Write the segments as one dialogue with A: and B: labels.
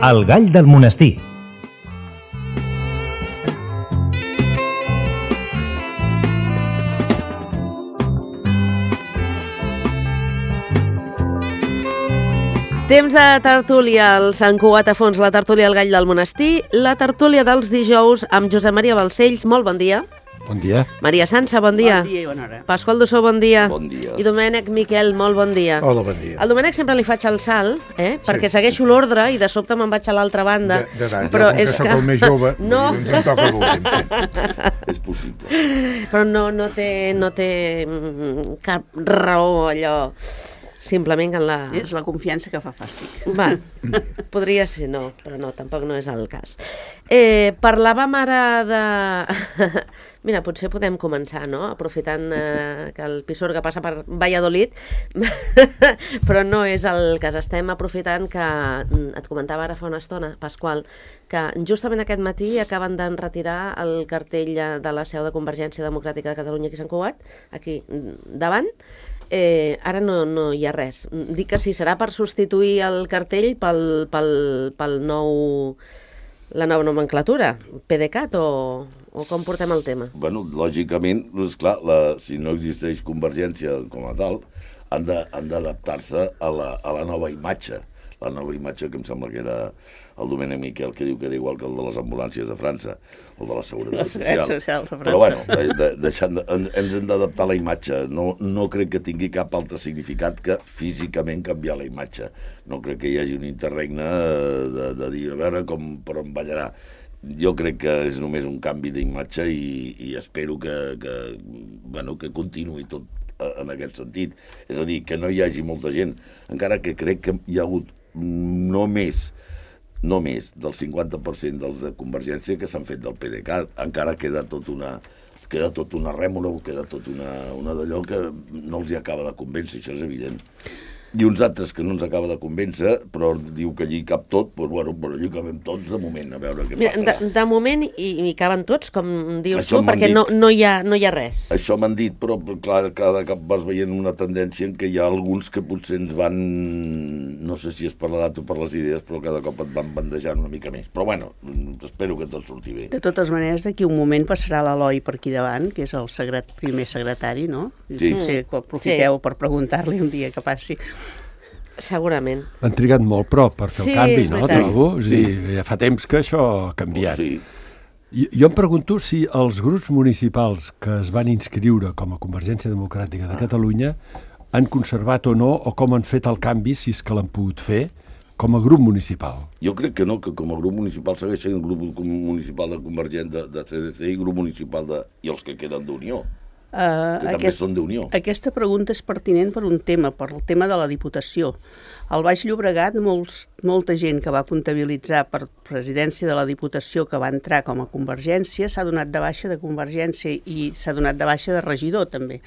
A: El gall del monestir.
B: Temps de tertúlia al Sant Cugat a fons, la tertúlia al gall del monestir, la tertúlia dels dijous amb Josep Maria Balcells, molt bon dia.
C: Bon dia.
B: Maria Sança, bon dia.
D: Bon dia i bona hora.
B: Pasqual Dussó, bon dia.
E: Bon dia.
B: I Domènec Miquel, molt bon dia.
C: Hola, bon dia.
B: Al Domènec sempre li faig el salt, perquè segueixo l'ordre i de sobte me'n vaig a l'altra banda.
C: Però és que el més jove,
B: no.
C: Ens em toca l'últim, sí.
E: És possible.
B: Però no té cap raó allò. Simplement en la...
D: És la confiança que fa fàstic.
B: Va, podria ser, no, però no, tampoc no és el cas. Parlàvem ara de... Mira, potser podem començar, no?, aprofitant que el Pisuerga passa per Valladolid, però no és el cas. Estem aprofitant que, et comentava ara fa una estona, Pasqual, que justament aquest matí acaben d'enretirar el cartell de la seu de Convergència Democràtica de Catalunya aquí a Sant Cugat, aquí davant. Ara no hi ha res. Dic que si serà per substituir el cartell pel nou... la nova nomenclatura, PDeCAT o com portem el tema?
E: Bueno, lògicament, esclar, si no existeix Convergència com a tal, han d'adaptar-se a la nova imatge. La nova imatge que em sembla que era el Domènec Miquel, que diu que era igual que el de les ambulàncies de França, o de la Seguretat Social. Però bueno, ens hem d'adaptar a la imatge. No crec que tingui cap altre significat que físicament canviar la imatge. No crec que hi hagi un interregne de dir, a veure per on ballarà. Jo crec que és només un canvi d'imatge i espero que continuï tot en aquest sentit. És a dir, que no hi hagi molta gent, encara que crec que hi ha hagut no més del 50% dels de Convergència que s'han fet del PDeCAT. Encara queda tot una rèmora, queda tot una d'allò que no els hi acaba de convèncer, això és evident. I uns altres que no ens acaba de convèncer, però diu que allí cap tot, doncs bueno, però allí cabem tots de moment, a veure què passarà.
B: De moment hi caben tots, com dius tu, perquè no hi ha res.
E: Això m'han dit, però clar, cada cop vas veient una tendència en què hi ha alguns que potser ens van, no sé si és per l'edat o per les idees, però cada cop et van bandejant una mica més. Però bueno, espero que tot surti bé.
D: De totes maneres, d'aquí un moment passarà l'Eloi per aquí davant, que és el primer secretari, no?
E: Sí.
D: Potser que aprofiteu per preguntar-li un dia que passi.
B: Segurament.
C: Han trigat molt, però, per fer el canvi, no? Trobo?
E: Sí.
C: Ja fa temps que això ha canviat.
E: Sí.
C: Jo em pregunto si els grups municipals que es van inscriure com a Convergència Democràtica de Catalunya han conservat o no, o com han fet el canvi, si és que l'han pogut fer, com a grup municipal.
E: Jo crec que no, que com a grup municipal segueix sent el grup municipal de Convergència, de CDC i grup municipal i els que queden d'Unió. Que també són d'Unió.
D: Aquesta pregunta és pertinent per un tema, per el tema de la Diputació. Al Baix Llobregat, molta gent que va comptabilitzar per presidència de la Diputació que va entrar com a Convergència s'ha donat de baixa de Convergència i s'ha donat de baixa de regidor, també.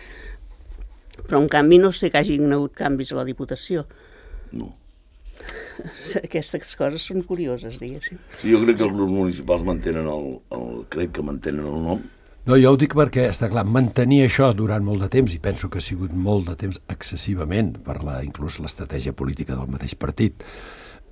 D: Però, en canvi, no sé que hagin hagut canvis a la Diputació.
E: No.
D: Aquestes coses són curioses, diguéssim.
E: Sí, jo crec que els grups municipals mantenen el nom.
C: No, jo ho dic perquè, està clar, mantenir això durant molt de temps, i penso que ha sigut molt de temps excessivament, per inclús l'estratègia política del mateix partit,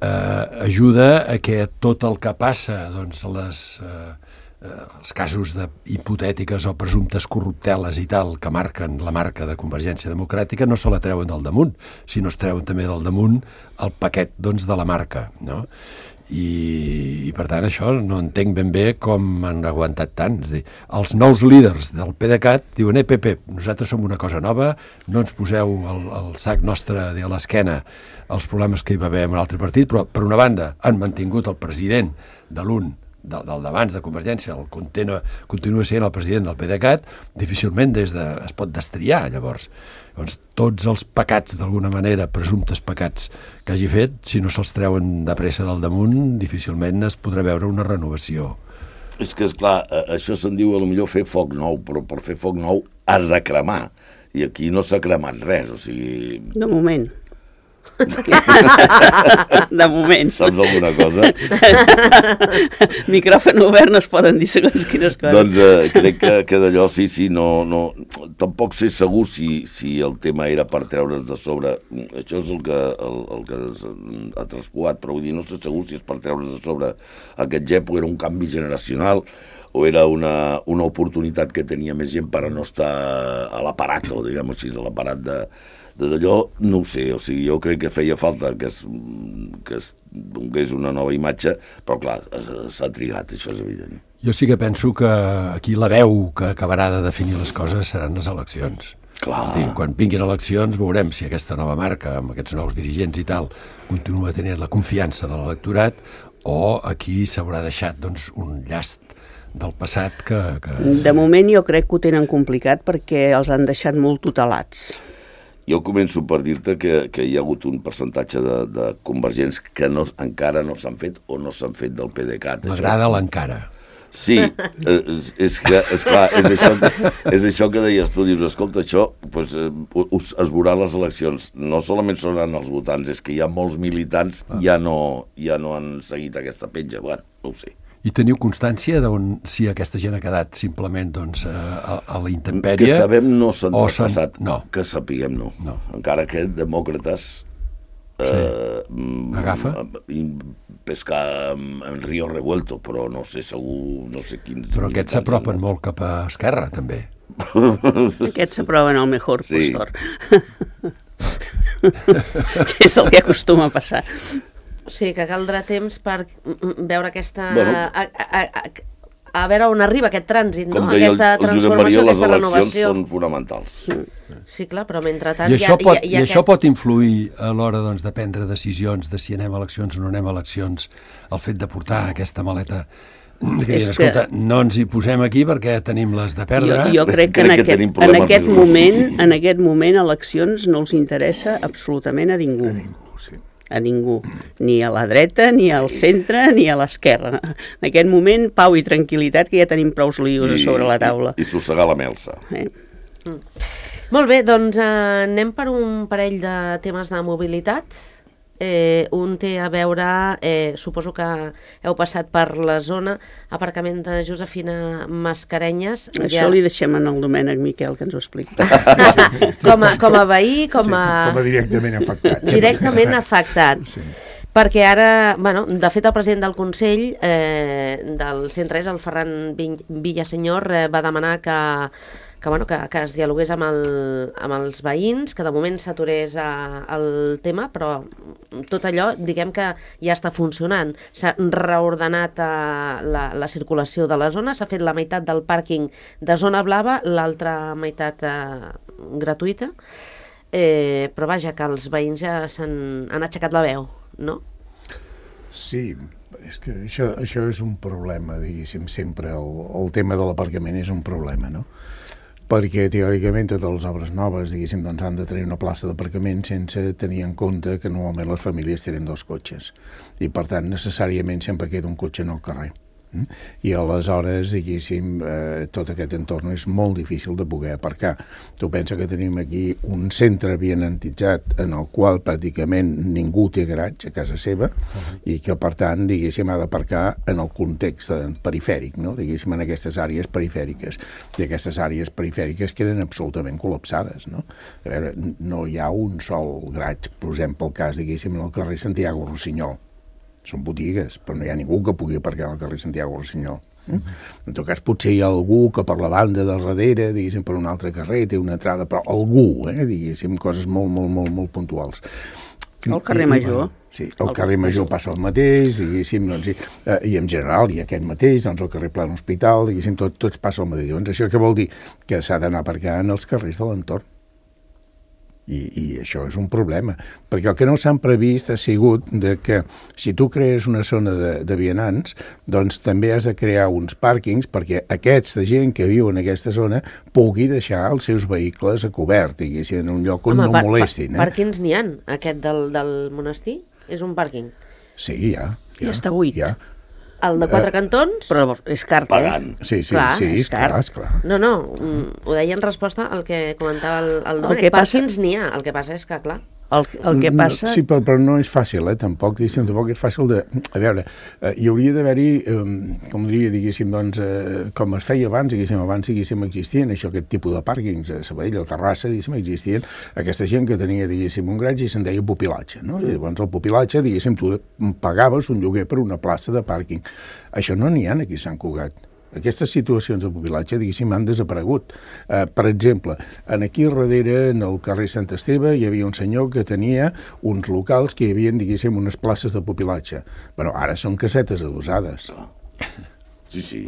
C: ajuda a que tot el que passa, doncs, els casos hipotètiques o presumptes corrupteles i tal, que marquen la marca de Convergència Democràtica, no se la treuen del damunt, sinó es treuen també del damunt el paquet, doncs, de la marca, no? I per tant això no entenc ben bé com han aguantat tant. És a dir, els nous líders del PDeCAT diuen, PP, nosaltres som una cosa nova, no ens poseu el sac nostre a l'esquena els problemes que hi va haver en un altre partit, però per una banda han mantingut el president del d'abans de Convergència, continua sent el president del PDeCAT, difícilment es pot destriar, llavors. Doncs tots els pecats, d'alguna manera, presumptes pecats que hagi fet, si no se'ls treuen de pressa del damunt, difícilment es podrà veure una renovació.
E: És que, esclar, això se'n diu a lo millor fer foc nou, però per fer foc nou has de cremar. I aquí no s'ha cremat res, o sigui...
D: De moment. De moment.
E: Saps alguna cosa?
D: Micròfon obert no es poden dir segons quines coses.
E: Doncs crec que d'allò sí, no... Tampoc sé segur si el tema era per treure's de sobre. Això és el que ha traspuat, però vull dir, no sé segur si és per treure's de sobre aquest gep o era un canvi generacional o era una oportunitat que tenia més gent per a no estar a l'aparato, diguem-ho així, a l'aparat d'allò, no ho sé, o sigui, jo crec que feia falta que es donés una nova imatge, però clar, s'ha trigat, això és evident.
C: Jo sí que penso que aquí la veu que acabarà de definir les coses seran les eleccions.
E: Clar.
C: És a dir, quan vinguin eleccions veurem si aquesta nova marca, amb aquests nous dirigents i tal, continua tenint la confiança de l'electorat o aquí s'haurà deixat doncs, un llast del passat que...
D: De moment jo crec que ho tenen complicat perquè els han deixat molt tutelats.
E: Jo començo per dir-te que hi ha hagut un percentatge de convergents que encara no s'han fet o no s'han fet del PDeCAT.
C: M'agrada l'encara.
E: Sí, és clar, és això que deies tu, dius, escolta, això pues, es veurà a les eleccions, no solament seran els votants, és que hi ha molts militants ja no han seguit aquesta petja, bueno, no ho sé.
C: I teniu constància d'on si aquesta gent ha quedat simplement doncs, a la intempèrie?
E: Que sabem no s'han traspassat,
C: no.
E: Que sapiguem no.
C: No.
E: Encara que demòcrates
C: agafa
E: i pescar en Río Revuelto, però no sé segur, no sé quins...
C: Però aquests s'apropen molt cap a Esquerra, també.
D: Aquests s'aproven al mejor postor. Que és el que acostuma a passar.
B: Sí, que caldrà temps per veure aquesta... A veure on arriba aquest trànsit, no? Aquesta transformació, aquesta renovació.
E: Les eleccions són fonamentals.
B: Sí, clar, però mentrestant...
C: I això pot influir a l'hora doncs, de prendre decisions de si anem a eleccions o no anem a eleccions, el fet de portar aquesta maleta... Que diuen, escolta, no ens hi posem aquí perquè tenim les de perdre.
D: Jo crec que en aquest moment eleccions no els interessa absolutament a ningú. A ningú, ni a la dreta, ni al centre, ni a l'esquerra. En aquest moment, pau i tranquil·litat, que ja tenim prou líos a sobre la taula.
E: I sossegar la melsa.
B: Molt bé, doncs anem per un parell de temes de mobilitat. Un té a veure, suposo que heu passat per la zona, aparcament de Josefina Mascarenyes.
D: Això li deixem en el Domènec Miquel, que ens ho expliqui.
B: Com a veí, com a
A: directament afectat.
B: Directament afectat. Sí. Perquè ara, bueno, de fet el president del Consell del Centre, el Ferran Villasenyor, va demanar que es dialogués amb els veïns, que de moment s'aturés el tema, però tot allò, diguem que ja està funcionant. S'ha reordenat la circulació de la zona, s'ha fet la meitat del pàrquing de zona blava, l'altra meitat gratuïta, però vaja, que els veïns ja han aixecat la veu, no?
A: Sí, és que això és un problema, diguéssim, sempre el tema de l'aparcament és un problema, no? Perquè teòricament totes les obres noves, diguéssim, doncs han de tenir una plaça d'aparcament sense tenir en compte que normalment les famílies tenen 2 cotxes i per tant necessàriament sempre queda un cotxe en el carrer. I aleshores, diguéssim, tot aquest entorn és molt difícil de poder aparcar. Tu pensa que tenim aquí un centre avianantitzat en el qual pràcticament ningú té garatge a casa seva i que, per tant, diguéssim, ha d'aparcar en el context perifèric, no? Diguéssim, en aquestes àrees perifèriques. I aquestes àrees perifèriques queden absolutament col·lapsades, no? A veure, no hi ha un sol garatge, per exemple, el cas, diguéssim, en el carrer Santiago Rossinyol. Són botigues, però no hi ha ningú que pugui aparcar al carrer Santiago Rossinyol. En tot cas, potser hi ha algú que per la banda de darrere, diguéssim, per un altre carrer, té una entrada, però algú, diguéssim, coses molt puntuals.
D: El carrer Major.
A: Sí, el carrer Major passa el mateix, diguéssim, doncs, i en general hi ha aquest mateix, doncs el carrer Plan Hospital, diguéssim, tots passa el mateix. Doncs això què vol dir? Que s'ha d'anar aparcant els carrers de l'entorn. I això és un problema, perquè el que no s'han previst ha sigut de que si tu crees una zona de vianants, doncs també has de crear uns pàrquings perquè aquesta gent que viu en aquesta zona pugui deixar els seus vehicles a cobert, diguéssim, en un lloc on no molestin.
B: Pàrquings n'hi ha, aquest del monestir? És un pàrquing?
A: Sí, ja.
D: Ja està buit.
A: Ja.
B: El de 4 cantons?
D: Però és car,
E: pagant.
A: Sí, és clar.
B: No, ho deia en resposta al que comentava el Domènec. Pàrquings n'hi ha, el que passa és que, clar...
D: El que passa...
A: Sí, però no és fàcil, tampoc, tampoc és fàcil de... A veure, hi hauria d'haver-hi, com diria, diguéssim, doncs, com es feia abans, diguéssim, existien aquest tipus de pàrquings a Sabadell o Terrassa, diguéssim, existien aquesta gent que tenia, diguéssim, un graig i se'n deia pupilatge, no? I llavors el pupilatge, diguéssim, tu pagaves un lloguer per una plaça de pàrquing. Això no n'hi ha aquí a Sant Cugat. Aquestes situacions de pupilatge, diguéssim, han desaparegut. Per exemple, aquí darrere, en el carrer Sant Esteve, hi havia un senyor que tenia uns locals que hi havia, diguéssim, unes places de pupilatge. Però ara són casetes adossades.
E: Sí.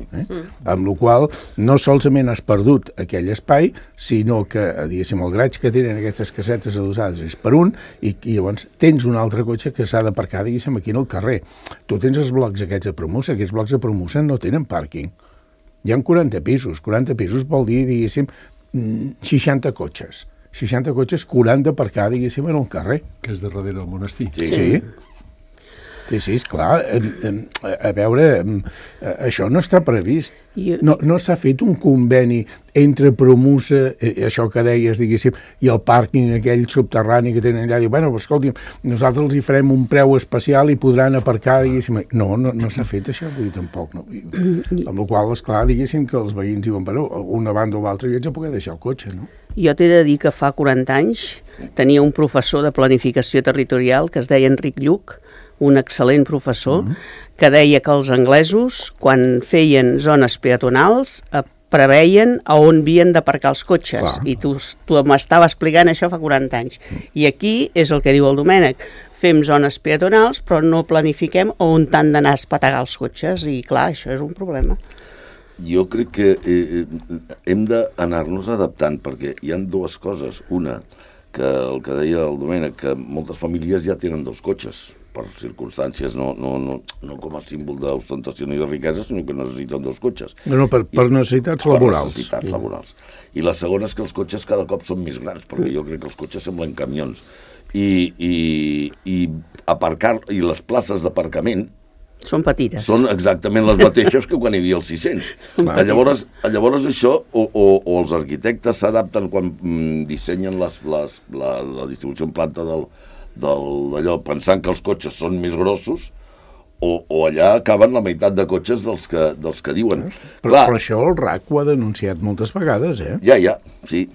A: Amb la qual no solament has perdut aquell espai, sinó que, diguéssim, el graig que tenen aquestes casetes adossades és per un, i llavors tens un altre cotxe que s'ha d'aparcar, diguéssim, aquí en el carrer. Tu tens els blocs aquests de Promusa, aquests blocs de Promusa no tenen pàrquing. Hi ha 40 pisos. 40 pisos vol dir, diguéssim, 60 cotxes. 60 cotxes, 40 aparcar, diguéssim, en el carrer.
C: Que és de darrere del monestir.
A: Sí. Sí, esclar. A veure, això no està previst. No s'ha fet un conveni entre Promusa, això que deies, diguéssim, i el pàrquing aquell subterrani que tenen allà. Diu, bueno, escolti'm, nosaltres els hi farem un preu especial i podran aparcar, diguéssim. No s'ha fet això, vull dir, tampoc. No. Amb la qual, esclar, diguéssim que els veïns diuen, bueno, una banda o l'altra i haig de poder deixar el cotxe, no?
D: Jo t'he de dir que fa 40 anys tenia un professor de planificació territorial que es deia Enric Lluc, un excel·lent professor, que deia que els anglesos, quan feien zones peatonals, preveien a on havien d'aparcar els cotxes.
A: Clar.
D: I tu m'estava explicant això fa 40 anys. I aquí és el que diu el Domènec. Fem zones peatonals, però no planifiquem on han d'anar a espetegar els cotxes. I clar, això és un problema.
E: Jo crec que hem d'anar-nos adaptant, perquè hi ha dues coses. Una, que el que deia el Domènec, que moltes famílies ja tenen dos cotxes, per circumstàncies, no com a símbol d'ostentació ni de riquesa, sinó que necessiten dos cotxes.
A: No, per necessitats laborals.
E: Per necessitats laborals. I la segona és que els cotxes cada cop són més grans, perquè jo crec que els cotxes semblen camions. I les places d'aparcament
D: són petites.
E: Són exactament les mateixes que quan hi havia els 600. Llavors això, o els arquitectes s'adapten quan dissenyen la distribució en planta d'allò, pensant que els cotxes són més grossos, o allà acaben la meitat de cotxes dels que diuen.
A: Però això el RAC ho ha denunciat moltes vegades,
E: Ja, sí.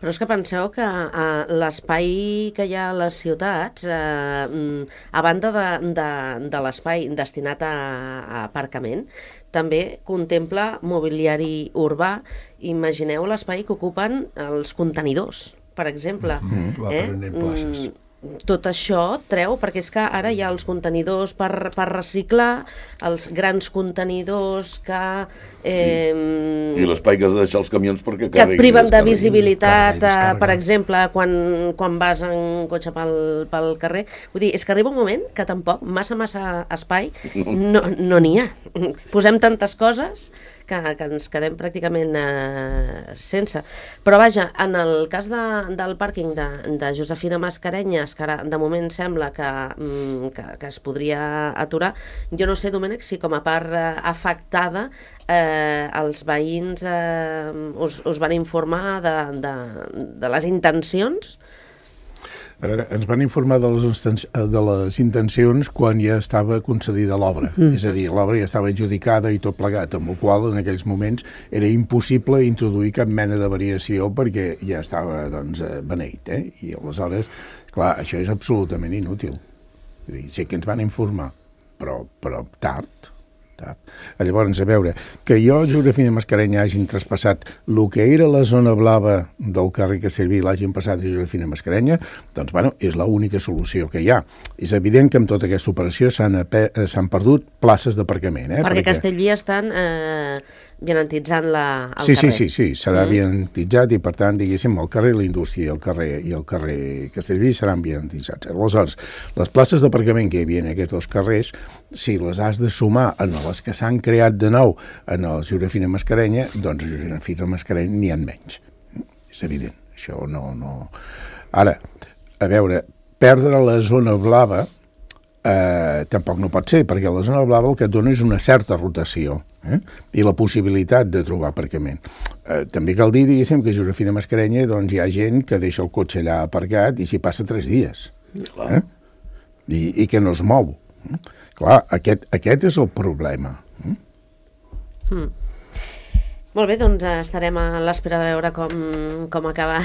B: Però és que penseu que l'espai que hi ha a les ciutats, a banda de l'espai destinat a aparcament, també contempla mobiliari urbà. Imagineu l'espai que ocupen els contenidors, per exemple.
C: Va prenent places.
B: Tot això treu, perquè és que ara hi ha els contenidors per reciclar, els grans contenidors que...
E: I l'espai que has de deixar els camions perquè
B: que et priven de visibilitat,
C: descarreguen.
B: per exemple, quan vas en cotxe pel carrer. Vull dir, és que arriba un moment que tampoc massa espai no n'hi ha. Posem tantes coses que ens quedem pràcticament sense. Però vaja, en el cas del pàrquing de Josefina Mascarenyes, que ara de moment sembla que es podria aturar, jo no sé, Domènec, si com a part afectada els veïns us van informar de les intencions.
A: A veure, ens van informar de les intencions quan ja estava concedida l'obra. És a dir, l'obra ja estava adjudicada i tot plegat, amb el qual en aquells moments era impossible introduir cap mena de variació perquè ja estava beneït. I aleshores, clar, això és absolutament inútil. Sí que ens van informar, però tard. Llavors, a veure, que jo, Josefina Mascarenya, hagin traspassat el que era la zona blava del carrer Castellví i l'hagin passat a Josefina Mascarenya, doncs, bueno, és l'única solució que hi ha. És evident que amb tota aquesta operació s'han perdut places d'aparcament.
B: Perquè Castellví estan vianantitzant el carrer.
A: Sí, serà vianantitzat i, per tant, diguéssim, el carrer La Indústria i el carrer Castellví seran vianantitzats. Aleshores, les places d'aparcament que hi havia en aquests dos carrers, si les has de sumar en les que s'han creat de nou en el Josefina Mascarenya, doncs a Josefina Mascarenya n'hi ha menys. És evident, això no... Ara, a veure, perdre la zona blava tampoc no pot ser, perquè la zona blava el que et dona és una certa rotació. I la possibilitat de trobar aparcament. També cal dir, diguéssim, que a Josefina Mascarenya doncs, hi ha gent que deixa el cotxe allà aparcat i s'hi passa 3 dies. I que no es mou. Clar, aquest és el problema.
B: Molt bé, doncs estarem a l'espera de veure com acaba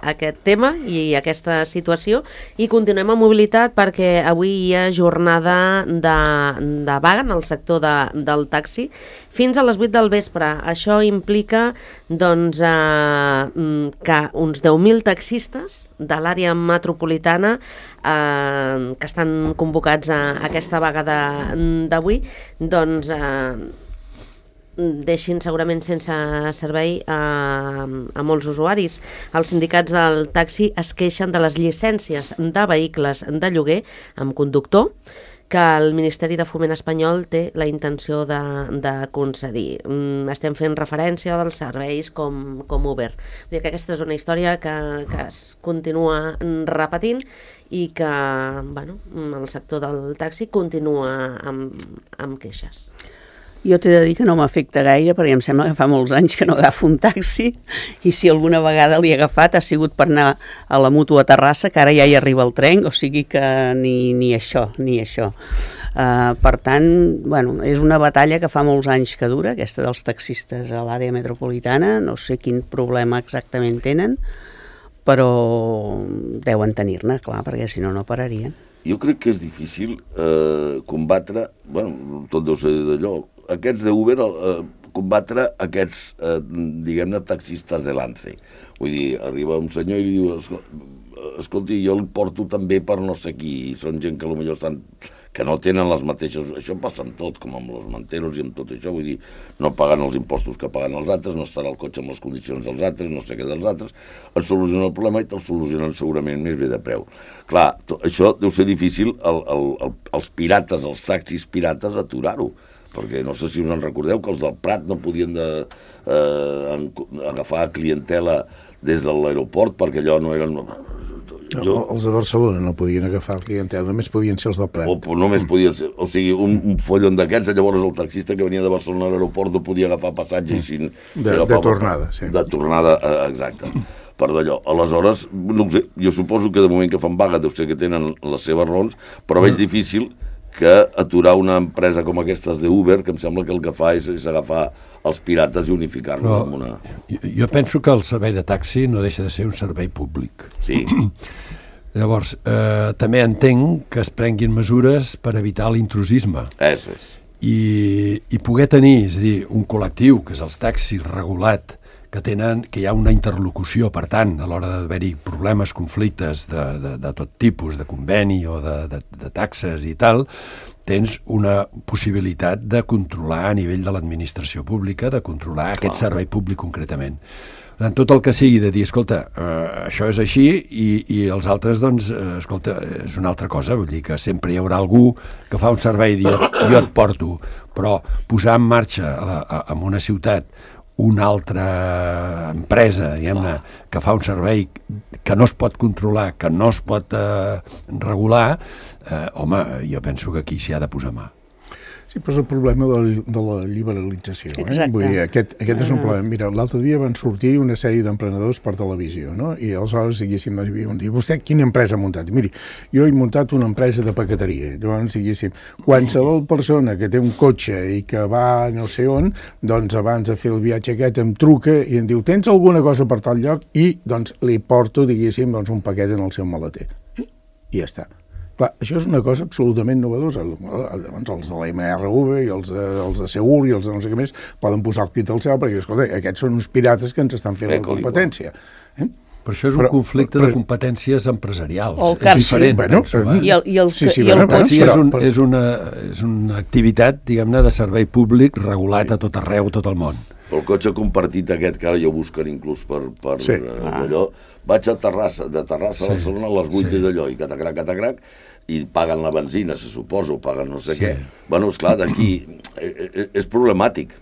B: aquest tema i aquesta situació, i continuem amb mobilitat perquè avui hi ha jornada de vaga en el sector del taxi fins a les 8 del vespre. Això implica doncs, que uns 10.000 taxistes de l'àrea metropolitana que estan convocats a aquesta vaga d'avui doncs deixin segurament sense servei a molts usuaris. Els sindicats del taxi es queixen de les llicències de vehicles de lloguer amb conductor que el Ministeri de Foment espanyol té la intenció de concedir. Estem fent referència als serveis com Uber. Vull dir que aquesta és una història que es continua repetint i que el sector del taxi continua amb queixes.
D: Jo t'he de dir que no m'afecta gaire, perquè em sembla que fa molts anys que no agafo un taxi, i si alguna vegada l'he agafat ha sigut per anar a la Mútua a Terrassa, que ara ja hi arriba el tren, o sigui que ni això. Per tant, és una batalla que fa molts anys que dura, aquesta dels taxistes a l'àrea metropolitana. No sé quin problema exactament tenen, però deuen tenir-ne, clar, perquè si no, no pararien.
E: Jo crec que és difícil combatre, tot deu ser d'allò, aquests d'Uber, combatre aquests, diguem-ne, taxistes de lance. Vull dir, arriba un senyor i li diu, escolti, jo el porto també per no sé qui, i són gent que potser estan que no tenen les mateixes... Això passa amb tot, com amb els manteros i amb tot això, vull dir, no pagant els impostos que paguen els altres, no estarà el cotxe amb les condicions dels altres, no sé què dels altres, et soluciona el problema i te'l solucionen segurament més bé de preu. Clar, això deu ser difícil els pirates, els taxis pirates, aturar-ho, perquè no sé si us en recordeu que els del Prat no podien agafar clientela des de l'aeroport perquè allò no eren...
A: Els de Barcelona no podien agafar clientela, només podien ser els del Prat.
E: O només podien ser, o sigui, un follon d'aquests, llavors el taxista que venia de Barcelona a l'aeroport no podia agafar passatge i si...
A: De tornada, sí.
E: De tornada, exacte. Per d'allò. Aleshores, no sé, jo suposo que de moment que fan vaga deu ser que tenen les seves raons, però veig difícil que aturar una empresa com aquestes d'Uber, que em sembla que el que fa és agafar els pirates i unificar-los amb una...
C: Jo penso que el servei de taxi no deixa de ser un servei públic.
E: Sí.
C: Llavors, també entenc que es prenguin mesures per evitar l'intrusisme.
E: Eso és.
C: I poder tenir, és a dir, un col·lectiu, que és els taxis regulat, que hi ha una interlocució, per tant, a l'hora d'haver-hi problemes, conflictes de tot tipus, de conveni o de taxes i tal, tens una possibilitat de controlar a nivell de l'administració pública, de controlar aquest servei públic concretament. En tot el que sigui de dir, escolta, això és així i els altres, doncs, escolta, és una altra cosa, vull dir que sempre hi haurà algú que fa un servei i jo et porto, però posar en marxa en una ciutat una altra empresa, diguem-ne, que fa un servei que no es pot controlar, que no es pot regular, home, jo penso que aquí s'hi ha de posar mà.
A: Sí, però és el problema de la liberalització.
D: Exacte.
A: Vull dir, aquest és un problema. Mira, l'altre dia van sortir una sèrie d'emprenedors per televisió, no? I aleshores, diguéssim, vostè quina empresa ha muntat? Miri, jo he muntat una empresa de paqueteria. Llavors, diguéssim, qualsevol persona que té un cotxe i que va no sé on, doncs abans de fer el viatge aquest em truca i em diu, tens alguna cosa per tal lloc? I, doncs, li porto, diguéssim, doncs, un paquet en el seu maleter. I ja està. Clar, això és una cosa absolutament novedosa. Llavors, els de la MRV i els de Segur i els de no sé què més poden posar el crit al cel perquè, escolta, aquests són uns pirates que ens estan fent la competència.
C: Però això és un conflicte de competències empresarials.
D: És
C: diferent, penso.
D: El
C: taxi és una activitat, diguem-ne, de servei públic regulat a tot arreu, a tot el món.
E: El cotxe compartit aquest, que ara jo buscaré inclús per allò, vaig a Terrassa, de Terrassa a Barcelona a les 8 d'allò, i catacrac, i paguen la benzina, se suposo, paguen no sé què. Bueno, esclar, d'aquí és problemàtic.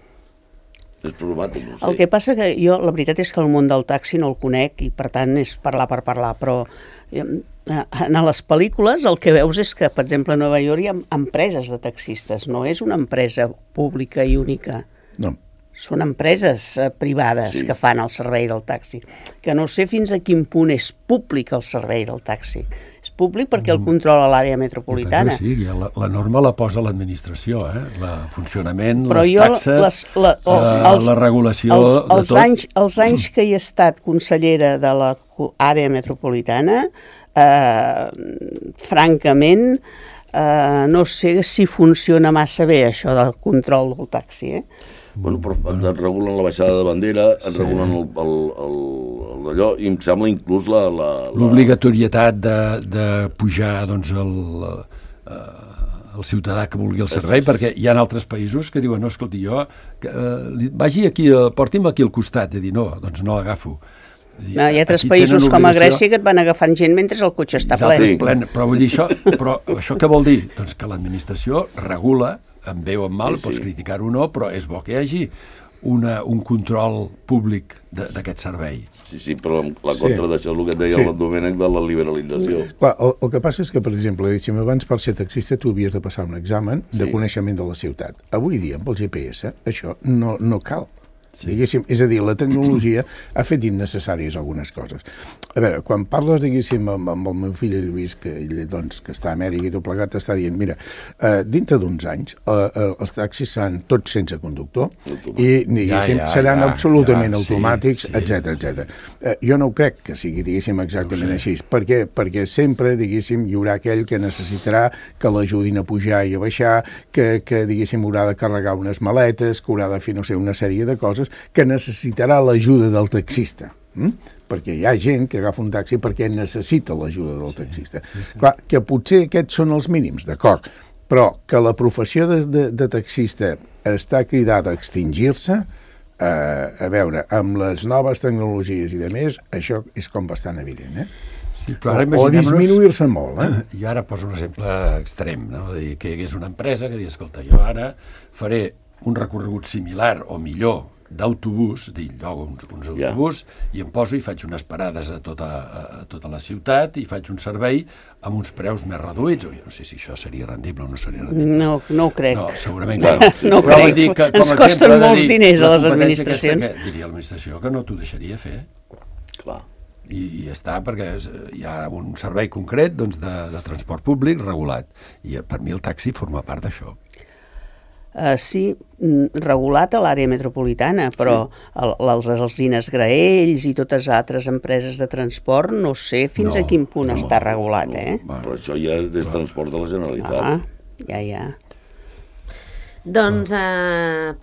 E: És problemàtic, no sé.
D: El que passa que jo, la veritat és que el món del taxi no el conec i per tant és parlar per parlar, però en les pel·lícules el que veus és que, per exemple, a Nova York hi ha empreses de taxistes, no és una empresa pública i única.
A: No.
D: Són empreses privades que fan el servei del taxi, que no sé fins a quin punt és públic el servei del taxi. És públic perquè el controla l'àrea metropolitana.
C: Sí, la norma la posa l'administració, el funcionament,
D: però
C: les taxes, la regulació de tot.
D: Els anys que hi he estat consellera de l'àrea metropolitana, francament, no sé si funciona massa bé això del control del taxi,
E: Bueno, però et regulen la baixada de bandera, et regulen d'allò, i em sembla inclús
C: l'obligatorietat de pujar doncs, el ciutadà que vulgui el servei, perquè hi ha altres països que diuen, no, escolti, jo vagi aquí, porti'm aquí al costat, i dir, no, doncs no l'agafo.
D: Hi ha altres països com a Grècia que et van agafant gent mentre el cotxe està ple.
C: Però vull dir això què vol dir? Doncs que l'administració regula, en bé o en mal, pots criticar-ho o no, però és bo que hi hagi un control públic d'aquest servei.
E: Sí, però la contra d'això és el que et deia el Domènec de la liberalització.
A: Clar, el que passa és que, per exemple, abans per ser taxista tu havies de passar un examen de coneixement de la ciutat. Avui dia, amb el GPS, això no cal. Diguéssim, és a dir, la tecnologia ha fet innecessàries algunes coses. A veure, quan parles, diguéssim, amb el meu fill Lluís, que ell doncs, que està a Amèrica i tot plegat, està dient, mira, dintre d'uns anys els taxis seran tots sense conductor i, diguéssim, seran absolutament automàtics, etc. Jo no ho crec que sigui, diguéssim, exactament així. Per què? Perquè sempre, diguéssim, hi haurà aquell que necessitarà que l'ajudin a pujar i a baixar, que diguéssim, haurà de carregar unes maletes, que haurà de fer, no sé, una sèrie de coses que necessitarà l'ajuda del taxista. Perquè hi ha gent que agafa un taxi perquè necessita l'ajuda del taxista. Clar, que potser aquests són els mínims, d'acord, però que la professió de taxista està cridada a extingir-se, a veure, amb les noves tecnologies i de més, això és com bastant evident, o disminuir-se molt,
C: I ara poso un exemple extrem, no? De dir que hi hagués una empresa que digui, escolta, jo ara faré un recorregut similar o millor d'autobús, llogo uns autobús i em poso i faig unes parades a tota la ciutat i faig un servei amb uns preus més reduïts. No sé si això seria rendible o no seria rendible.
D: No ho crec.
C: No, segurament que no.
D: No ho crec. Ens costen molts diners a les administracions.
C: Diria l'administració que no t'ho deixaria fer.
E: Clar.
C: I ja està, perquè hi ha un servei concret doncs, de transport públic regulat. I per mi el taxi forma part d'això.
D: Sí, regulat a l'àrea metropolitana, però els alzines Graells i totes altres empreses de transport no sé fins a quin punt està regulat,
E: Però això ja és transport de la Generalitat.
D: Ja.
B: Doncs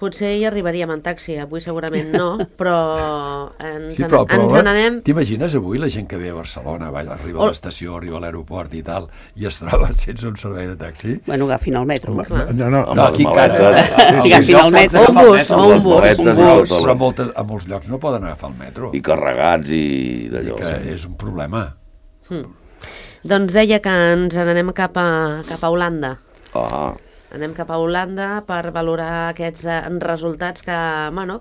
B: potser hi arribaríem en taxi, avui segurament no, però ens n'anem...
C: T'imagines avui la gent que ve a Barcelona, arriba a l'estació, arriba a l'aeroport i tal, i es troba sense un servei de taxi?
D: Bueno, agafin el metro.
E: No,
C: aquí encara...
D: Agafin el metro.
B: Un bus.
C: Però a molts llocs no poden agafar el metro.
E: I carregats i d'allò.
C: Que és un problema.
B: Doncs deia que ens n'anem cap a Holanda. Anem cap a Holanda per valorar aquests resultats que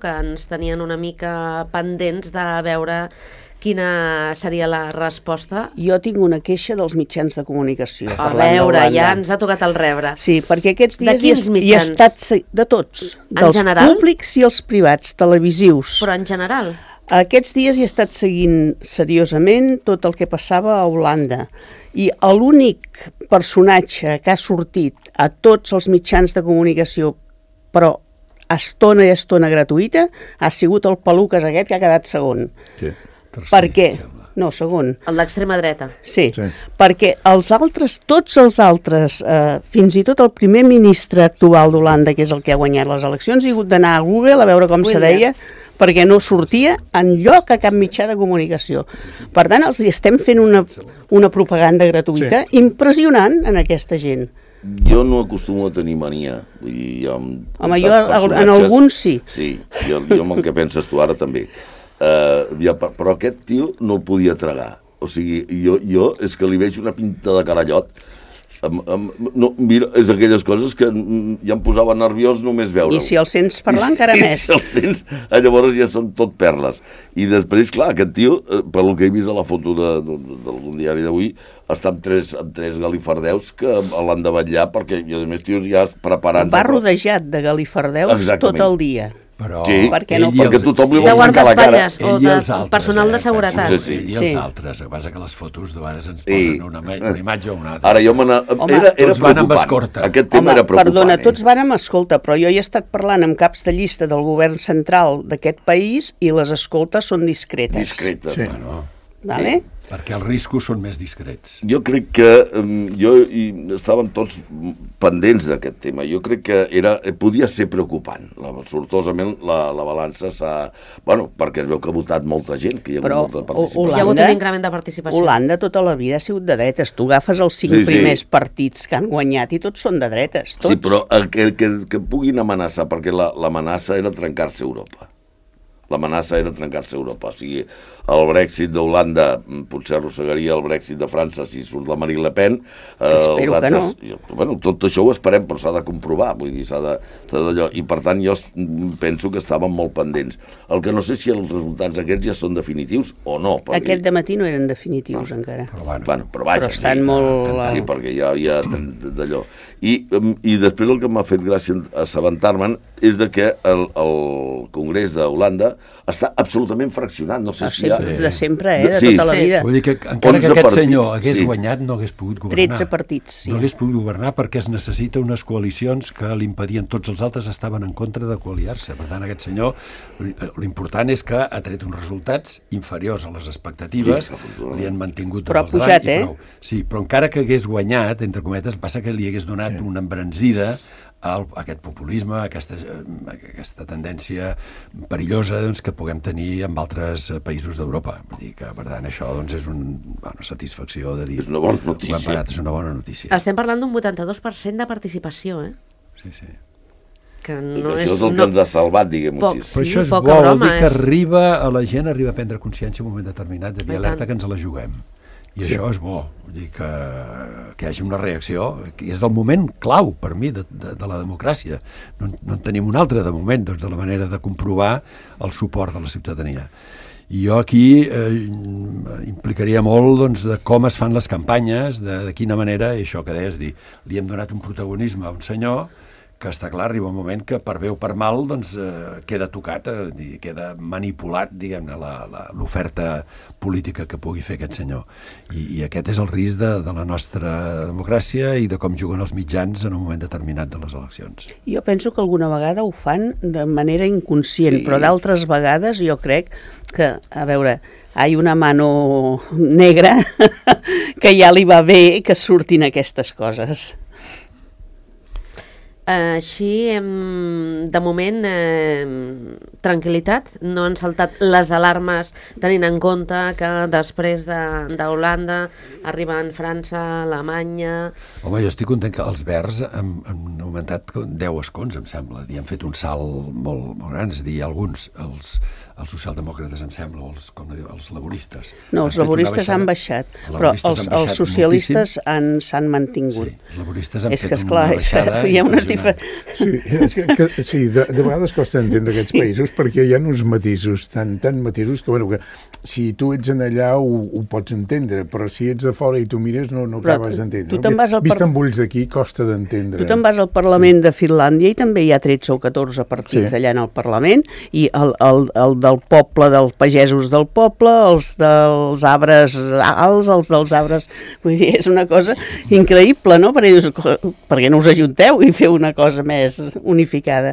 B: ens tenien una mica pendents de veure quina seria la resposta.
D: Jo tinc una queixa dels mitjans de comunicació.
B: A veure, ja ens ha tocat el rebre.
D: Sí, perquè aquests dies
B: de quins mitjans?
D: De tots.
B: En general?
D: Dels públics i els privats, televisius.
B: Però en general?
D: Aquests dies he estat seguint seriosament tot el que passava a Holanda i l'únic personatge que ha sortit a tots els mitjans de comunicació, però estona i estona gratuïta, ha sigut el Peluques aquest que ha quedat segon. Per què? No, segon.
B: El d'extrema dreta.
D: Sí, perquè tots els altres, fins i tot el primer ministre actual d'Holanda, que és el que ha guanyat les eleccions, ha hagut d'anar a Google a veure com se deia, perquè no sortia enlloc a cap mitjà de comunicació. Per tant, els estem fent una propaganda gratuïta impressionant en aquesta gent.
E: Jo no acostumo a tenir mania.
D: Home, jo en alguns sí.
E: Sí, jo amb el que penses tu ara també. Però aquest tio no el podia tragar. O sigui, jo és que li veig una pinta de carallot No, mira, és aquelles coses que ja em posava nerviós només veure-ho.
D: I si el sents parlar, encara més.
E: I si el sents, llavors ja són tot perles. I després, clar, aquest tio, per lo que he vist a la foto d'algun diari d'avui, està amb tres galifardeus que l'han de vetllar perquè, i a més, tios ja preparant...
D: Va rodejat de galifardeus tot el dia.
C: Però
E: sí,
C: perquè
E: tothom li
B: vol
E: tancar la cara.
B: O de personal de seguretat.
C: Sí, i els altres. El que passa que les fotos de vegades ens posen una imatge o una altra.
E: Ara jo era preocupant. Aquest tema era preocupant.
D: Perdona, tots van amb escolta, però jo he estat parlant amb caps de llista del govern central d'aquest país i les escoltes són discretes.
E: Discretes.
C: Sí. Bueno,
D: vale?
C: perquè els riscos són més discrets.
E: Jo crec que estàvem tots pendents d'aquest tema. Jo crec que podia ser preocupant. Sortosament la balança s'ha... Bueno, perquè es veu que ha votat molta gent, que hi ha hagut molta participació.
B: Hi ha hagut un increment de participació.
D: Holanda tota la vida ha sigut de dretes. Tu agafes els 5 primers partits que han guanyat i tots són de dretes. Tots.
E: Sí, però que puguin amenaçar, perquè l'amenaça era trencar-se Europa. L'amenaça era trencar-se Europa. O sigui, el Brexit d'Holanda potser arrossegaria el Brexit de França si surt la Marine Le Pen.
D: Espero que no.
E: Bueno, tot això ho esperem, però s'ha de comprovar. Vull dir, s'ha d'allò. I per tant jo penso que estàvem molt pendents. El que no sé si els resultats aquests ja són definitius o no.
D: Aquest dematí no eren definitius encara.
E: Però vaja.
D: Però estan molt...
E: Sí, perquè ja hi ha d'allò. I després el que m'ha fet gràcia assabentar-me'n és de que el Congrés d'Holanda està absolutament fraccionat. No sé si
D: de sempre, de tota la vida.
C: Vull dir que encara que aquest senyor hagués guanyat no hagués pogut governar.
D: 13 partits, sí.
C: No hagués pogut governar perquè es necessita unes coalicions que l'impedien. Tots els altres estaven en contra de coaliar-se. Per tant, aquest senyor, l'important és que ha tret uns resultats inferiors a les expectatives, li han mantingut
D: però ha pujat,
C: Sí, però encara que hagués guanyat, entre cometes, passa que li hagués donat una embranzida a aquest populisme, aquesta tendència perillosa que puguem tenir en altres països d'Europa. Vull dir que, per tant, això és una satisfacció de dir...
E: És una bona notícia.
C: És una bona notícia.
B: Estem parlant d'un 82% de participació,
C: Sí.
B: Que no
E: això és el que ens ha salvat, diguem-ho així.
C: Però això és bo, vol dir que la gent arriba a prendre consciència en un moment determinat de dir alerta que ens la juguem. I això és bo, vull dir que hi hagi una reacció, que és el moment clau per mi de la democràcia. No en tenim un altre de moment, de la manera de comprovar el suport de la ciutadania. I jo aquí implicaria molt de com es fan les campanyes, de quina manera, i això que deies, li hem donat un protagonisme a un senyor que està clar, arriba un moment que per bé o per mal queda tocat, queda manipulat, diguem-ne, l'oferta política que pugui fer aquest senyor. I aquest és el risc de la nostra democràcia i de com juguen els mitjans en un moment determinat de les eleccions.
D: Jo penso que alguna vegada ho fan de manera inconscient, però d'altres vegades jo crec que, a veure, hi ha una mano negra que ja li va bé que surtin aquestes coses.
B: Així, de moment, tranquil·litat, no han saltat les alarmes tenint en compte que després d'Holanda arriben França, Alemanya...
C: Home, jo estic content que els Verds han augmentat 10 escons, em sembla, i han fet un salt molt gran, és a dir, alguns, els socialdemòcrates, em sembla, els laboristes.
D: No, els laboristes han baixat, però els socialistes s'han mantingut.
C: Sí, els laboristes han fet
D: una baixada. Hi ha unes
A: Sí, de vegades costa entendre aquests països perquè hi ha uns matisos, tant matisos que si tu ets en allà ho pots entendre, però si ets de fora i tu mires no acabes d'entendre. Vist amb ulls d'aquí costa d'entendre.
D: Tu te'n vas al Parlament de Finlàndia i també hi ha 13 o 14 partits allà en el Parlament, i el del poble, dels pagesos del poble, els dels arbres alts, els dels arbres... Vull dir, és una cosa increïble, no? Perquè no us ajunteu i feu una cosa més unificada.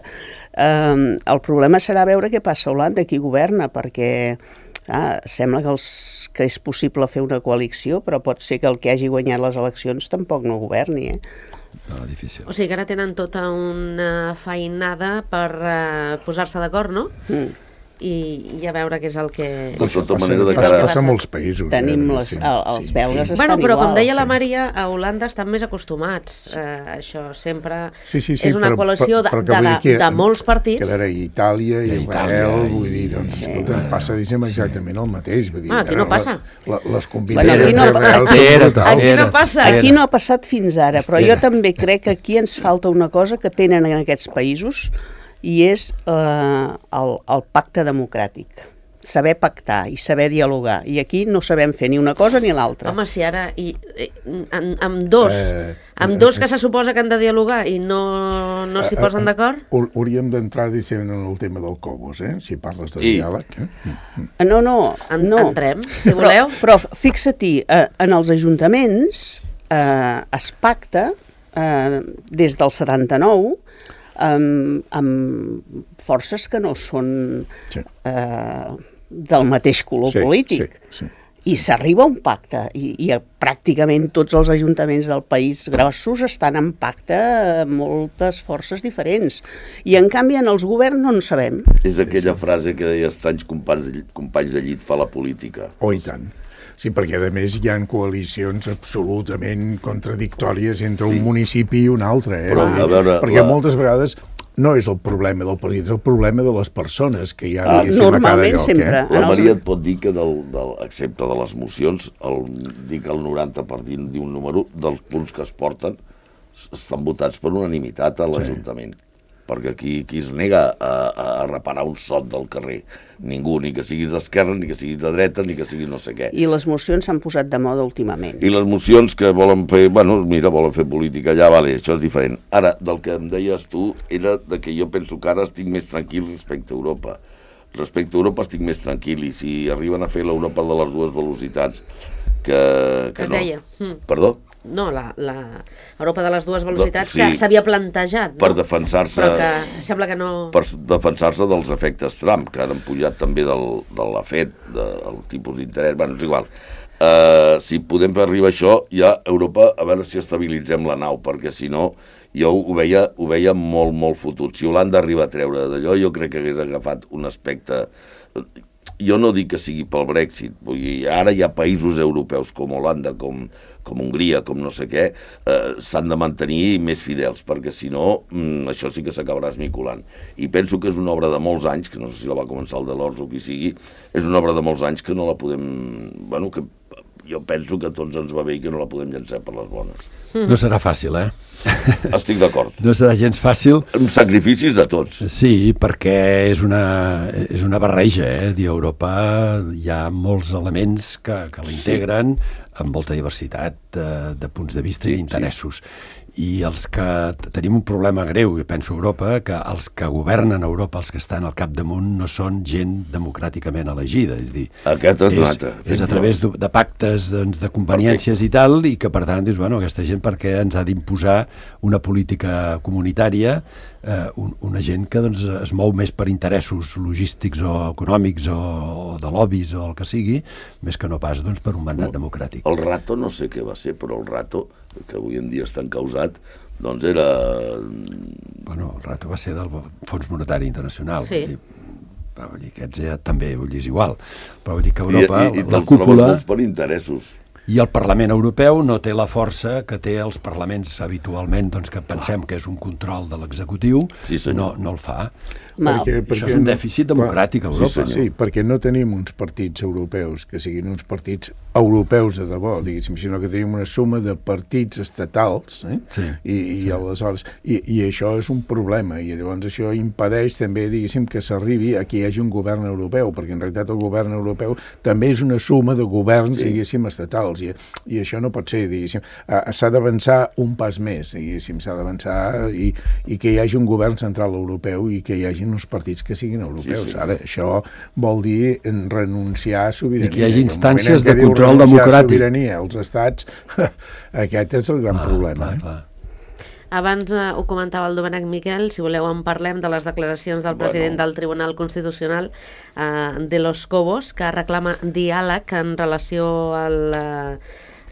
D: El problema serà veure què passa a Holanda, qui governa, perquè sembla que és possible fer una coalició, però pot ser que el que hagi guanyat les eleccions tampoc no governi,
C: No, difícil.
B: O sigui que ara tenen tota una feinada per posar-se d'acord, no? i a veure què és el que...
E: De tota manera, de
A: Passa
E: cara...
A: a molts països.
D: Tenim els belgues estan
B: Bueno, però
D: igual.
B: com deia la Maria, a Holanda estan més acostumats. Això sempre
A: Sí,
B: és una coalició
A: però que vull dir que
B: de molts partits.
A: Que ara Itàlia i Israel, vull dir, doncs,
C: Sí.
A: escolta, passa exactament el mateix. Vull dir,
B: Aquí no passa.
A: Les
D: Bueno,
A: combinacions
D: aquí no-
A: reals són
C: Espera't,
A: brutals.
B: Aquí no passa.
D: Aquí no ha passat fins ara, però jo
C: Espera.
D: també crec que aquí ens falta una cosa que tenen en aquests països i és el pacte democràtic. Saber pactar i saber dialogar. I aquí no sabem fer ni una cosa ni l'altra.
B: Home, si ara amb dos que se suposa que han de dialogar i no s'hi posen d'acord...
A: Hauríem d'entrar, diguem, en el tema del Cobos, si parles de
E: Sí.
A: diàleg.
D: No, no.
B: Entrem, si voleu.
D: Però fixa-t'hi, en els ajuntaments es pacta des del 79 amb forces que no són
A: Sí.
D: del mateix color polític.
A: Sí.
D: I s'arriba a un pacte, i pràcticament tots els ajuntaments del país grossos estan en pacte amb moltes forces diferents. I en canvi en els governs no en sabem.
E: És aquella frase que deies, tants companys de llit fa la política.
A: Oh, i tant. Sí, perquè a més hi ha coalicions absolutament contradictòries entre un municipi i un altre.
E: Però, a veure,
A: perquè moltes vegades no és el problema del partit, és el problema de les persones que hi ha, diguéssim, a cada
D: normalment
A: lloc.
D: sempre.
E: La Maria et pot dir que, excepte de les mocions, dic el 90 per dir un número, dels punts que es porten estan votats per unanimitat a l'Ajuntament. Perquè aquí es nega a reparar un sot del carrer. Ningú, ni que siguis d'esquerra, ni que siguis de dreta, ni que siguis no sé què.
D: I les mocions s'han posat de moda últimament.
E: I les mocions que volen fer, volen fer política allà, vale, això és diferent. Ara, del que em deies tu, era de que jo penso que ara estic més tranquil respecte a Europa. Respecte a Europa estic més tranquil, i si arriben a fer l'Europa de les dues velocitats, que
B: Es
E: no.
B: deia.
E: Perdó?
B: No, la Europa de les dues velocitats
E: Sí.
B: que s'havia plantejat, no?
E: Per defensar-se...
B: Però que sembla que no...
E: Per defensar-se dels efectes Trump, que han pujat també de la FED, del tipus d'interès, bueno, és igual. Si podem fer arribar això, ja Europa, a veure si estabilitzem la nau, perquè si no, jo ho veia molt, molt fotut. Si Holanda arriba a treure d'allò, jo crec que hagués agafat un aspecte... Jo no dic que sigui pel Brexit, vull dir, ara hi ha països europeus com Holanda, com Hongria, com no sé què, s'han de mantenir més fidels, perquè si no, això sí que s'acabarà esmicolant. I penso que és una obra de molts anys, que no sé si la va començar el Delors o qui sigui, és una obra de molts anys que no la podem... Bueno, que jo penso que a tots ens va bé i que no la podem llançar per les bones.
C: No serà fàcil,
E: Estic d'acord.
C: No serà gens fàcil.
E: Amb sacrificis de tots.
C: Sí, perquè és una barreja, Europa hi ha molts elements que l'integren amb molta diversitat de punts de vista i d'interessos. I els que tenim un problema greu, jo penso a Europa, que els que governen Europa, els que estan al capdamunt, no són gent democràticament elegida. És dir,
E: Aquest és l'altre.
C: és a través de pactes, doncs, de conveniències i tal, i que per tant dius, bueno, aquesta gent perquè ens ha d'imposar una política comunitària, una gent que doncs, es mou més per interessos logístics o econòmics o de lobbies o el que sigui, més que no pas doncs, per un mandat democràtic.
E: El Rato no sé què va ser, però el Rato, que avui en dia està encausat, doncs era...
C: Bueno, el Rato va ser del Fons Monetari Internacional.
B: Sí.
C: Vull dir, aquests ja també, vull dir, és igual. Però vull dir que Europa,
E: I
C: la
E: te'ls
C: cúpula...
E: trobes per interessos.
C: I el Parlament Europeu no té la força que té els parlaments habitualment, doncs, que pensem que és un control de l'executiu,
E: Sí, senyor.
C: no el fa.
A: Perquè
C: Això és un dèficit democràtic a Europa.
A: Sí, perquè no tenim uns partits europeus que siguin uns partits europeus de debò, diguéssim, sinó que tenim una suma de partits estatals, i aleshores... I això és un problema, i llavors això impedeix també, diguéssim, que s'arribi a que hi hagi un govern europeu, perquè en realitat el govern europeu també és una suma de governs, diguéssim, estatals, i això no pot ser, diguéssim. S'ha d'avançar un pas més, diguéssim, s'ha d'avançar i que hi hagi un govern central europeu i que hi hagi uns partits que siguin europeus.
E: Sí.
A: Ara, això vol dir renunciar a sobirania.
C: I que hi hagi
A: I el
C: instàncies
A: moment en què
C: de
A: diu
C: control
A: renunciar
C: democràtic.
A: a sobirania als estats, aquest és el gran problema.
C: Clar.
B: Abans ho comentava el Domènec Miquel, si voleu en parlem de les declaracions del president del Tribunal Constitucional, de los Cobos, que reclama diàleg en relació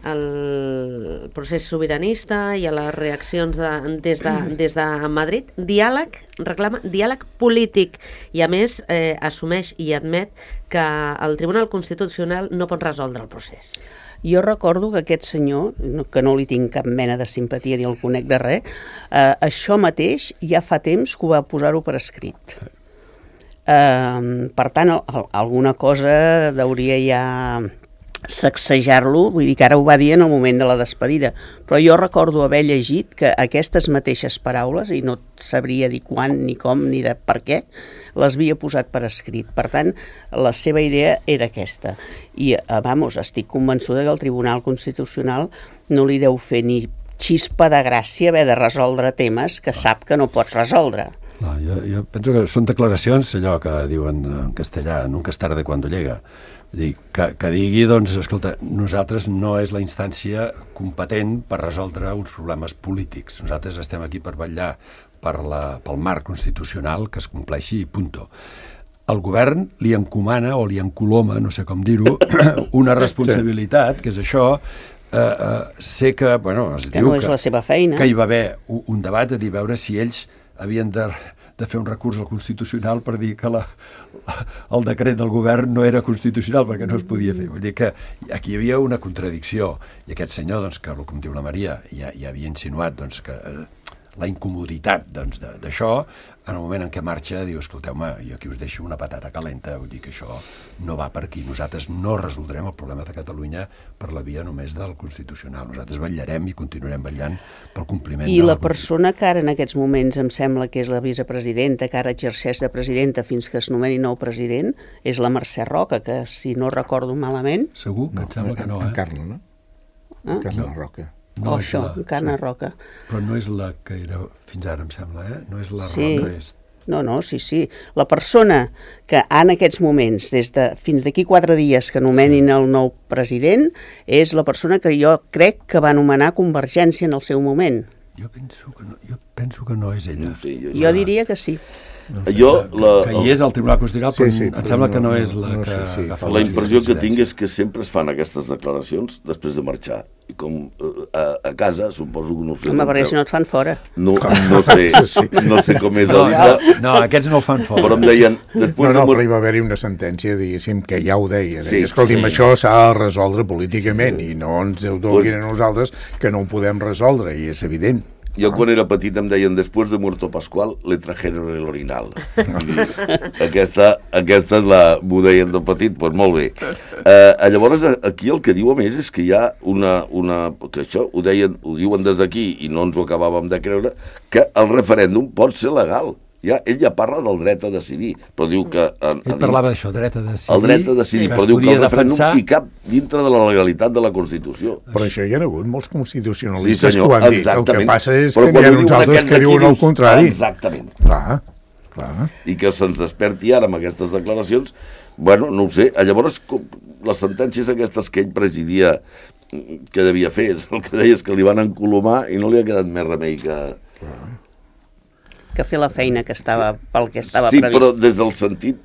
B: el procés sobiranista i a les reaccions des de Madrid. Diàleg, reclama diàleg polític i, a més, assumeix i admet que el Tribunal Constitucional no pot resoldre el procés.
D: Jo recordo que aquest senyor, que no li tinc cap mena de simpatia ni el conec de res, això mateix ja fa temps que ho va posar-ho per escrit. Per tant, alguna cosa hauria ja sacsejar-lo, vull dir que ara ho va dir en el moment de la despedida, però jo recordo haver llegit que aquestes mateixes paraules, i no sabria dir quan, ni com, ni de per què, les havia posat per escrit. Per tant, la seva idea era aquesta. I, estic convençuda que el Tribunal Constitucional no li deu fer ni xispa de gràcia haver de resoldre temes que sap que no pot resoldre.
C: No, jo penso que són declaracions, allò que diuen en castellà, nunca es tarde cuando llega. Dir, que digui, doncs, escolta, nosaltres no és la instància competent per resoldre uns problemes polítics. Nosaltres estem aquí per vetllar pel marc constitucional que es compleixi i punto. El govern li encomana o li encoloma, no sé com dir-ho, una responsabilitat, que és això. Sé que, bueno, es diu
D: no és la seva feina.
C: Que hi va haver un debat a dir, veure si ells havien de fer un recurs al Constitucional per dir que el decret del govern no era constitucional perquè no es podia fer. Vull dir que aquí hi havia una contradicció i aquest senyor, doncs, que, com diu la Maria, ja havia insinuat doncs, que la incomoditat d'això, en el moment en què marxa, diu, escolteu-me, jo aquí us deixo una patata calenta, vull dir que això no va per aquí. Nosaltres no resoldrem el problema de Catalunya per la via només del Constitucional. Nosaltres vetllarem i continuarem vetllant pel compliment de la Constitució.
D: I la persona que ara en aquests moments em sembla que és la vicepresidenta, que ara exerceix de presidenta fins que es nomeni nou president, és la Mercè Roca, que si no recordo malament...
C: Segur? Que em sembla que no,
A: En Carla, no? En Carla Roca.
C: No,
D: això, Encarna Roca.
C: Però no és la que era fins ara, em sembla, No és la
D: sí.
C: Roca, és...
D: No, sí. La persona que en aquests moments, fins d'aquí 4 dies que nomenin el nou president, és la persona que jo crec que va anomenar Convergència en el seu moment.
C: Jo penso que no és ella.
E: No sé,
D: jo diria que sí.
C: Que hi és al Tribunal Constitucional, però em sembla que no és la que...
E: La impressió que tinc és que sempre es fan aquestes declaracions després de marxar. I com a casa, suposo que no sé...
D: Home, perquè si no et fan fora.
E: No sé com és el dia.
C: No, aquests no el fan fora.
E: Però em deien...
A: Però hi va haver-hi una sentència, diguéssim, que ja ho deia. Escolti'm, això s'ha de resoldre políticament i no ens ho donin a nosaltres que no ho podem resoldre, i és evident.
E: Jo quan era petit em deien, després de muerto Pascual, le trajeron el orinal. Aquesta és la... m'ho deien de petit, doncs molt bé. Llavors, aquí el que diu a més és que hi ha que això ho diuen des d'aquí i no ens ho acabàvem de creure, que el referèndum pot ser legal. Ell ja parla del dret a decidir, però diu que...
C: Ell parlava d'això, dret a decidir.
E: El dret a decidir, però diu que el referèndum hi cap dintre de la legalitat de la Constitució.
A: Però això hi ha hagut molts constitucionalistes que ho han dit. El que passa és que hi ha uns altres que diuen el contrari.
E: Exactament.
A: Clar.
E: I que se'ns desperti ara amb aquestes declaracions, bueno, no ho sé. Llavors, les sentències aquestes que ell presidia, que devia fer, el que deia és que li van encolomar i no li ha quedat més remei
D: que fer la feina que estava pel que estava
E: previst.
D: Sí,
E: però des del sentit,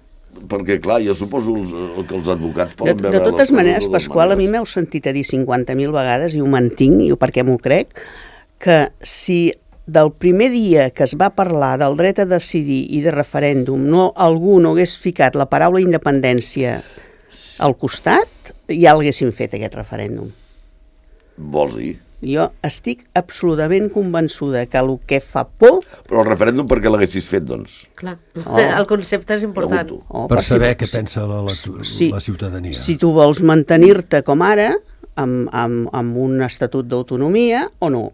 E: perquè clar, jo suposo que els advocats poden veure...
D: De totes maneres, Pasqual, a mi m'heu sentit a dir 50.000 vegades, i ho mantinc, i perquè m'ho crec, que si del primer dia que es va parlar del dret a decidir i de referèndum algú no hagués ficat la paraula independència al costat, ja l'haguessin fet, aquest referèndum.
E: Vols dir?
D: Jo estic absolutament convençuda que el que fa por...
E: Però el referèndum per què l'haguessis fet, doncs?
B: Clar, el concepte és important.
C: Per saber què pensa la ciutadania.
D: Si tu vols mantenir-te com ara, amb un estatut d'autonomia o no.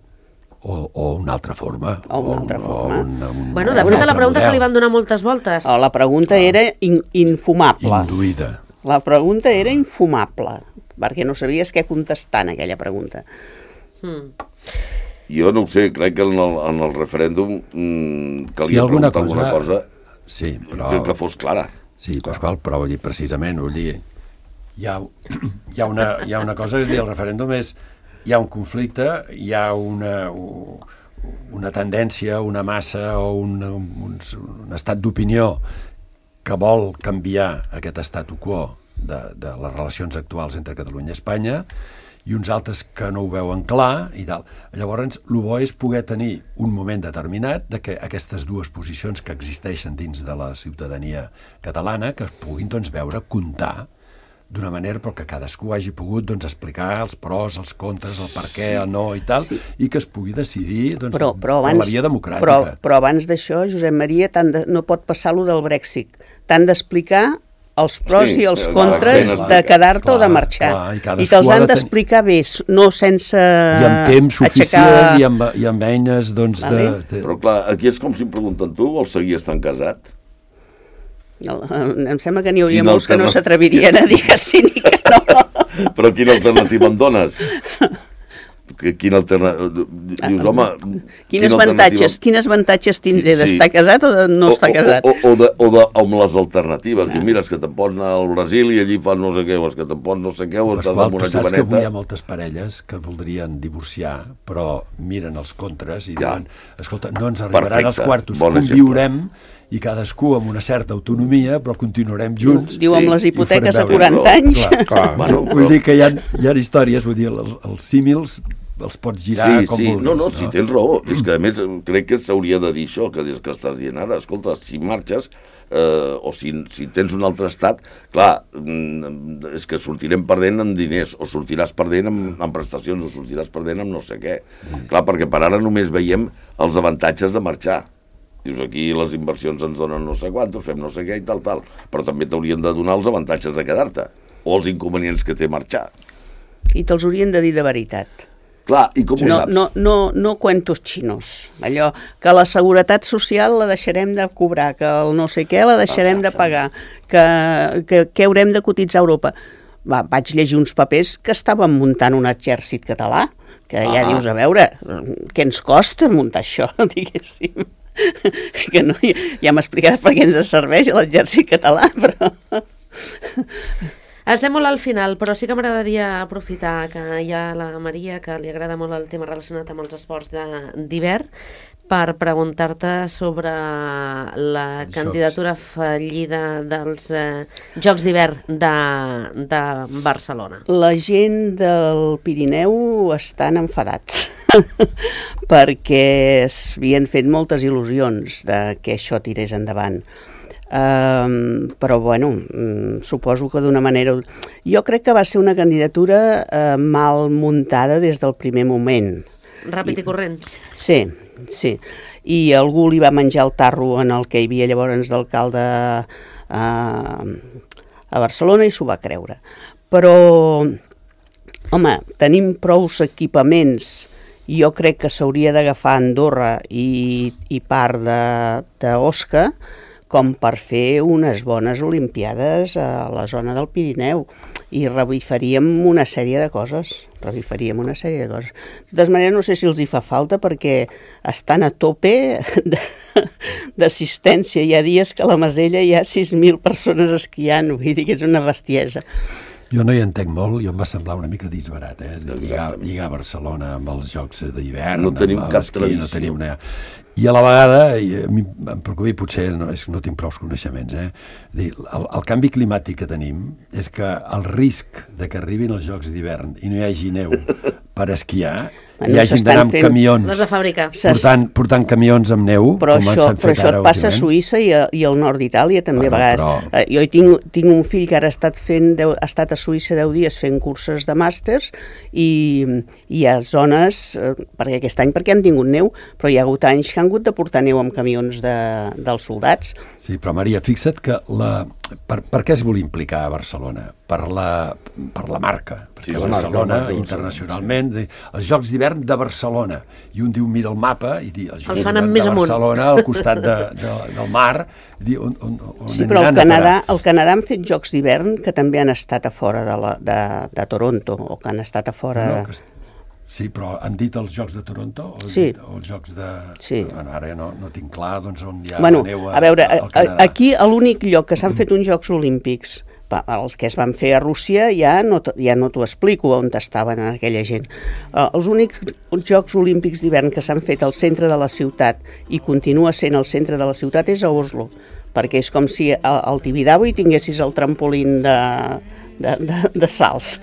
C: O una altra forma.
B: Bueno, de fet, a la pregunta se li van donar moltes voltes.
D: La pregunta era infumable.
C: Induïda.
D: La pregunta era infumable, perquè no sabies què contestar en aquella pregunta.
E: Jo no ho sé, crec que en el referèndum calia preguntar alguna cosa que fos clara.
C: Sí, Pasqual, però vull dir, precisament, hi ha una cosa, és dir, el referèndum és, hi ha un conflicte, hi ha una tendència, una massa o un estat d'opinió que vol canviar aquest statu quo de les relacions actuals entre Catalunya i Espanya, i uns altres que no ho veuen clar i tal. Llavors, el bo és poder tenir un moment determinat de que aquestes dues posicions que existeixen dins de la ciutadania catalana que es puguin doncs, veure, comptar d'una manera però que cadascú hagi pogut doncs, explicar els pros, els contres, el per què, el no i tal, i que es pugui decidir doncs,
D: però
C: per la via democràtica.
D: Però abans d'això, Josep Maria, no pot passar lo del Brexit. T'han d'explicar els pros i els contres de quedar-te o de marxar. I te'ls han d'explicar bé, no sense
C: i amb temps suficient i amb eines doncs,
E: Però clar, aquí és com si em pregunten tu, vols seguir estant casat?
D: Em sembla que n'hi hauria molts que no s'atrevirien a dir que sí ni que no.
E: Però quina alternativa em dones? Quina alternativa? Dius, home...
D: Quines avantatges tindré d'estar casat o de no estar casat?
E: O amb les alternatives. Diu, mira, és que te'n pots anar al Brasil i allí fan no sé què, o és que te'n pots no sé què, o estàs amb una joveneta...
C: Saps que avui hi ha moltes parelles que voldrien divorciar, però miren els contres i diuen, escolta, no ens arribaran els quartos, conviurem i cadascú amb una certa autonomia, però continuarem junts.
D: Diu, amb les hipoteques a 40 anys.
C: Clar. Vull dir que hi ha històries, vull dir, els símils els pots girar com vulguis.
E: No, si tens raó. És que, a més, crec que s'hauria de dir això, que que estàs dient ara. Escolta, si marxes, o si tens un altre estat, clar, és que sortirem perdent en diners, o sortiràs perdent en prestacions, o sortiràs perdent en no sé què. Clar, perquè per ara només veiem els avantatges de marxar. Dius, aquí les inversions ens donen no sé quantos, fem no sé què i tal, però també t'haurien de donar els avantatges de quedar-te, o els inconvenients que té marxar.
D: I te'ls haurien de dir de veritat.
E: Clar, i com ho saps?
D: No cuentos xinos. Allò que la seguretat social la deixarem de cobrar, que el no sé què la deixarem de pagar, que haurem de cotitzar a Europa. Vaig llegir uns papers que estaven muntant un exèrcit català, que ja dius, a veure, què ens costa muntar això, diguéssim. Que no, ja m'explicaràs per què ens serveix l'exèrcit català, però...
B: Estem molt al final, però sí que m'agradaria aprofitar que hi ha la Maria, que li agrada molt el tema relacionat amb els esports d'hivern, per preguntar-te sobre la candidatura fallida dels Jocs d'hivern de Barcelona.
D: La gent del Pirineu estan enfadats perquè s'havien fet moltes il·lusions de que això tirés endavant. Però bueno, suposo que d'una manera... Jo crec que va ser una candidatura mal muntada des del primer moment.
B: Ràpid i corrents.
D: Sí. I algú li va menjar el tarro en el que hi havia llavors d'alcalde a Barcelona i s'ho va creure. Però, home, tenim prous equipaments. Jo crec que s'hauria d'agafar Andorra i part d'Osca com per fer unes bones olimpiades a la zona del Pirineu i revifaríem una sèrie de coses. De totes maneres, no sé si els hi fa falta perquè estan a tope d'assistència. Hi ha dies que a la Masella hi ha 6.000 persones esquiant, vull dir que és una bestiesa.
C: Jo no hi entenc molt, i em va semblar una mica disbarat, és a dir, lligar Barcelona amb els Jocs d'hivern.
E: No tenim cap tradició.
C: I a la vegada, em preocupi, potser no tinc prou coneixements, el canvi climàtic que tenim és que el risc de que arribin els Jocs d'hivern i no hi hagi neu per esquiar, hi ha gent d'anar amb camions,
B: les de fàbrica,
C: portant camions amb neu,
D: però això et passa a Suïssa i al nord d'Itàlia també a vegades. Jo tinc un fill que ara ha estat a Suïssa 10 dies fent curses de màsters i hi ha zones, perquè aquest any perquè han tingut neu, però hi ha hagut anys que han hagut de portar neu amb camions dels soldats.
C: Sí, però Maria, fixa't que per què es vol implicar a Barcelona? Per la marca, perquè Barcelona internacionalment, els Jocs d'hivern de Barcelona, i un diu mira el mapa i diu els Jocs d'hivern de Barcelona al costat del mar,
D: sí, però al Canadà han fet Jocs d'hivern que també han estat a fora de Toronto, o que han estat a fora...
C: Sí, però han dit els Jocs de Toronto o
D: sí.
C: Els Jocs de...
D: Sí.
C: Bueno, ara no tinc clar doncs, on hi ha neu
D: a veure, aquí l'únic lloc que s'han fet uns Jocs Olímpics, els que es van fer a Rússia ja no t'ho explico on estaven aquella gent. Els únics Jocs Olímpics d'hivern que s'han fet al centre de la ciutat i continua sent al centre de la ciutat és a Oslo, perquè és com si al Tibidabo hi tinguessis el trampolín de salts.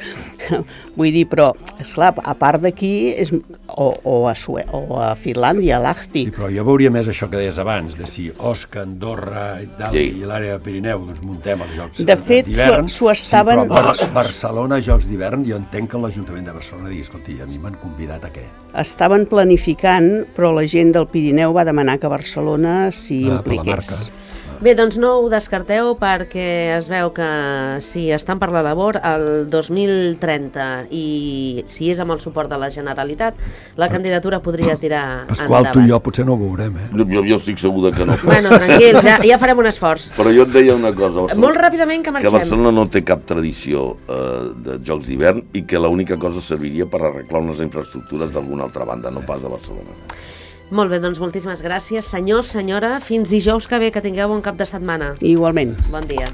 D: Vull dir, però, esclar, a part d'aquí, o a Finlàndia, a Lahti.
C: Sí, però jo veuria més això que deies abans, de si Osca, Andorra i tal,
E: Sí.
C: i l'àrea de Pirineu, doncs muntem els Jocs
D: De fet,
C: d'hivern.
D: s'ho estaven-
C: Sí, però Barcelona, Jocs d'hivern, jo entenc que l'Ajuntament de Barcelona digui, escolti, a mi m'han convidat a què?
D: Estaven planificant, però la gent del Pirineu va demanar que Barcelona s'hi
C: Per la marca.
D: impliqués.
B: Bé, doncs no ho descarteu perquè es veu que si estan per la labor el 2030 i si és amb el suport de la Generalitat, la candidatura podria tirar
C: Pasqual,
B: endavant.
C: tu i jo potser no ho veurem, eh?
E: Jo estic segur que no.
B: Bueno, tranquils, ja farem un esforç.
E: Però jo et deia una cosa.
B: Molt ràpidament que
E: Que
B: marxem.
E: Barcelona no té cap tradició de Jocs d'hivern i que l'única cosa serviria per arreglar unes infraestructures d'alguna altra banda, no pas de Barcelona.
B: Molt bé, doncs moltíssimes gràcies. Senyors, senyora, fins dijous que ve, que tingueu bon cap de setmana.
D: Igualment.
B: Bon dia.